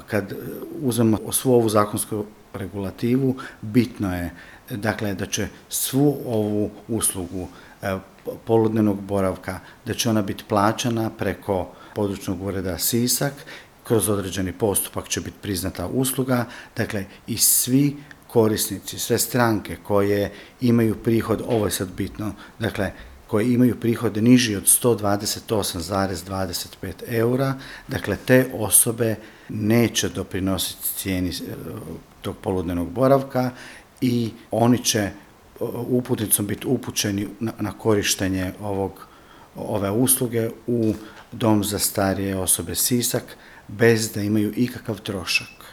kad uzmemo svu ovu zakonsku regulativu, bitno je dakle da će svu ovu uslugu poludnevnog boravka, da će ona biti plaćana preko područnog ureda Sisak, kroz određeni postupak će biti priznata usluga, dakle i svi korisnici, sve stranke koje imaju prihod, ovo je sad bitno, dakle koji imaju prihod niži od 128,25 eura, dakle te osobe neće doprinositi cijeni tog poludnevnog boravka i oni će uputnicom biti upućeni na korištenje ove usluge u Dom za starije osobe Sisak bez da imaju ikakav trošak.